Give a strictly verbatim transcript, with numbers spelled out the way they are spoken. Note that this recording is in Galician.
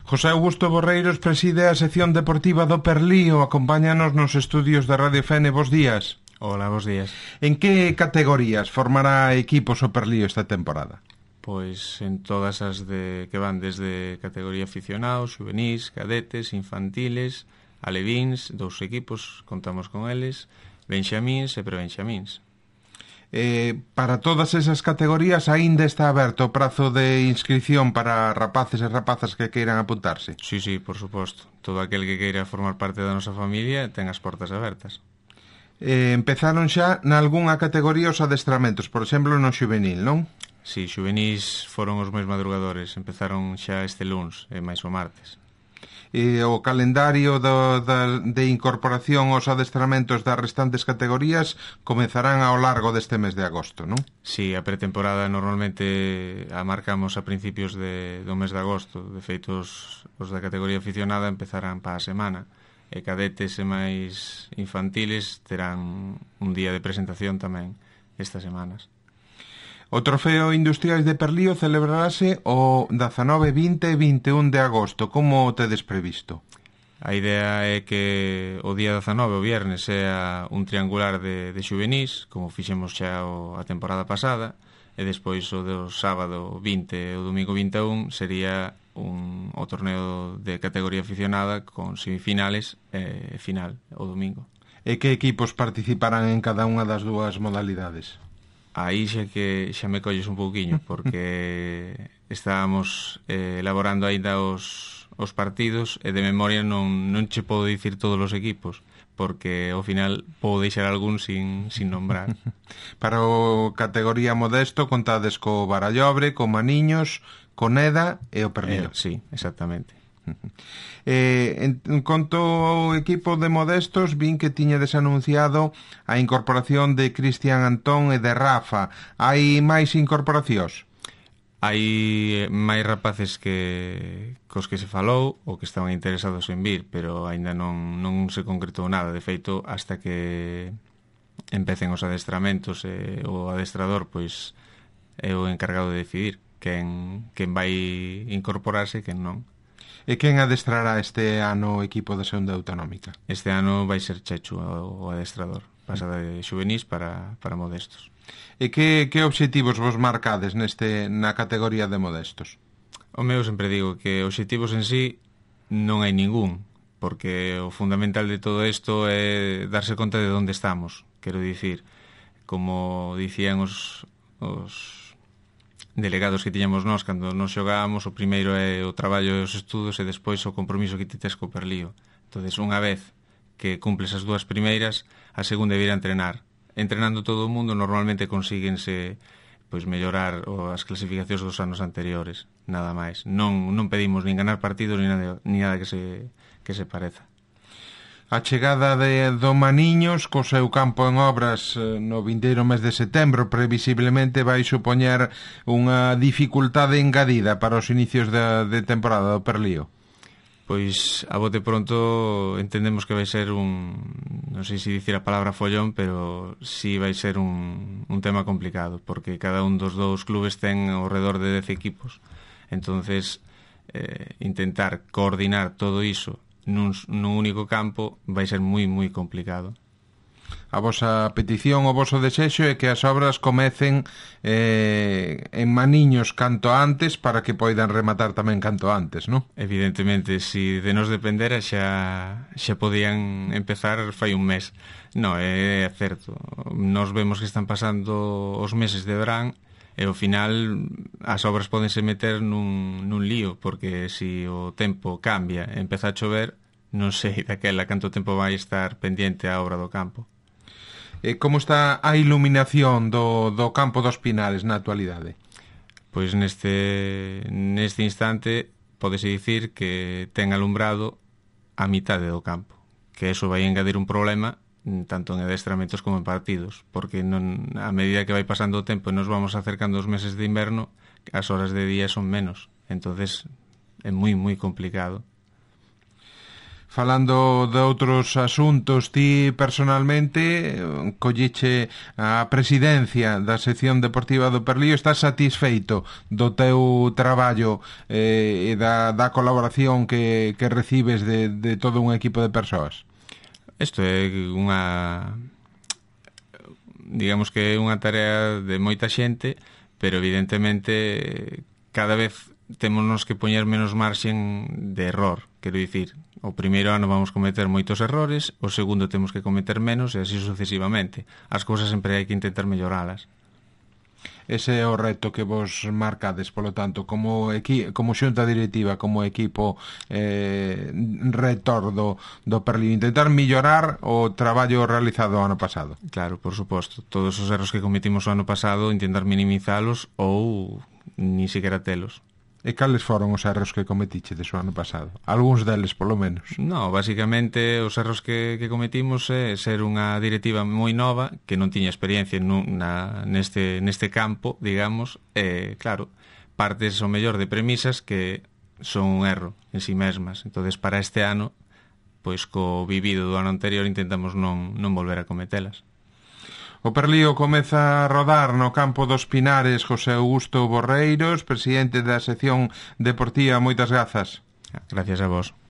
José Augusto Borreiros preside a sección deportiva do Perlío. Acompáñanos nos estudios da Radio F N. Bos días. Hola, bos días. En que categorías formará equipos o Perlío esta temporada? Pois en todas as de que van desde categoría aficionados, juvenís, cadetes, infantiles, alevíns, dous equipos, contamos con eles, benxamíns e prebenxamíns. Eh, para todas esas categorías aínda está aberto o prazo de inscripción para rapaces e rapazas que queiran apuntarse? Sí, sí, por suposto. Todo aquel que queira formar parte da nosa familia ten as portas abertas. Eh, empezaron xa nalgúnha categoría os adestramentos, por exemplo no xuvenil, non? Sí, xuvenís foron os máis madrugadores, empezaron xa este luns e máis o martes. E o calendario do, da, de incorporación aos adestramentos das restantes categorías comezarán ao largo deste mes de agosto, non? Sí, a pretemporada normalmente a marcamos a principios de, do mes de agosto. De feito, os, os da categoría aficionada empezarán para a semana, e cadetes e máis infantiles terán un día de presentación tamén estas semanas. O Trofeo Industriais de Perlío celebrarase o dezanove, vinte e vinte e un de agosto. Como o tedes previsto? A idea é que o día dezanove, o viernes, sea un triangular de, de xuvenís, como fixemos xa o, a temporada pasada, e despois o do sábado vinte e o domingo vinte e un sería un, o torneo de categoría aficionada con semifinales e final o domingo. E que equipos participarán en cada unha das dúas modalidades? Aí xa que xa me colles un pouquiño, porque estábamos eh, elaborando aínda os, os partidos e de memoria non, non che podo dicir todos os equipos, porque ao final podo deixar algún sin, sin nombrar. Para o categoría modesto contades co Barallobre, co Maniños, co Neda e o Perlío. Eh, sí, exactamente. Eh, en, en conto ao equipo de modestos, vin que tiñades anunciado a incorporación de Cristian Antón e de Rafa. Hai máis incorporacións? Hai máis rapaces que cos que se falou ou que estaban interesados en vir, pero aínda non, non se concretou nada. De feito, hasta que empecen os adestramentos e o adestrador pois é o encargado de decidir quen, quen vai incorporarse e quen non. E quen adestrará este ano o equipo da Segunda Autonómica? Este ano vai ser Chechu o adestrador. Pasa de xuvenís para, para modestos. E que, que obxectivos vos marcades neste na categoría de modestos? O meu sempre digo que obxectivos en sí non hai ningún, porque o fundamental de todo isto é darse conta de onde estamos. Quero dicir, como dicían os... os delegados que tiñamos nós cando nos xogábamos, o primeiro é o traballo e os estudos e despois o compromiso que ti tes co Perlío. Entonces, unha vez que cumples as dúas primeiras, a segunda é vir a entrenar. Entrenando todo o mundo normalmente consíguense pois mellorar o, as clasificacións dos anos anteriores, nada máis. Non, non pedimos nin ganar partidos ni nada, ni nada que se, que se pareza. A chegada de do Maniños co seu campo en obras no vindeiro mes de setembro previsiblemente vai supoñer unha dificultade engadida para os inicios de, de temporada do Perlío. Pois a bote pronto entendemos que vai ser un, non sei se dicir a palabra follón, pero sí vai ser un, un tema complicado, porque cada un dos dous clubes ten ao redor de dez equipos. Entonces, eh, intentar coordinar todo iso nun, nun único campo vai ser moi, moi complicado. A vosa petición, o voso desexo é que as obras comecen eh, en Maniños canto antes para que poidan rematar tamén canto antes, non? Evidentemente, se si de nos dependera xa, xa podían empezar fai un mes. Non, é certo. Nos vemos que están pasando os meses de verán e ao final as obras pódense meter nun, nun lío, porque se o tempo cambia e empeza a chover, non sei daquela canto tempo vai estar pendiente a obra do campo. E como está a iluminación do, do campo dos Pinales na actualidade? Pois neste, neste instante pódese dicir que ten alumbrado a mitade do campo, que eso vai engadir un problema tanto en adestramentos como en partidos, porque non, a medida que vai pasando o tempo e nos vamos acercando aos meses de inverno, as horas de día son menos, entonces é moi moi complicado. Falando de outros asuntos, ti personalmente colliche a presidencia da sección deportiva do Perlío. Estás satisfeito do teu traballo eh, e da, da colaboración que, que recibes de, de todo un equipo de persoas? Isto é unha... digamos que é unha tarea de moita xente, pero evidentemente cada vez témonos que poñer menos marxen de error. Quero dicir, o primeiro ano vamos cometer moitos errores, o segundo temos que cometer menos e así sucesivamente. As cousas sempre hai que intentar melloralas. Ese é o reto que vos marcades, polo tanto, como, equi, como xunta directiva, como equipo eh, rector do, do Perlío, intentar mellorar o traballo realizado o ano pasado. Claro, por suposto. Todos os erros que cometimos o ano pasado, intentar minimizalos ou ni siquiera telos. E cales foron os erros que cometiche de o ano pasado? Algúns deles, polo menos. No, basicamente, os erros que, que cometimos é ser unha directiva moi nova, que non tiña experiencia na, neste, neste campo, digamos, e, claro, partes o mellor de premisas que son un erro en si mesmas. Entonces, para este ano, pois co vivido do ano anterior intentamos non, non volver a cometelas. O Perlío comeza a rodar no campo dos Pinares. José Augusto Borreiros, presidente da sección deportiva, moitas grazas. Gracias a vos.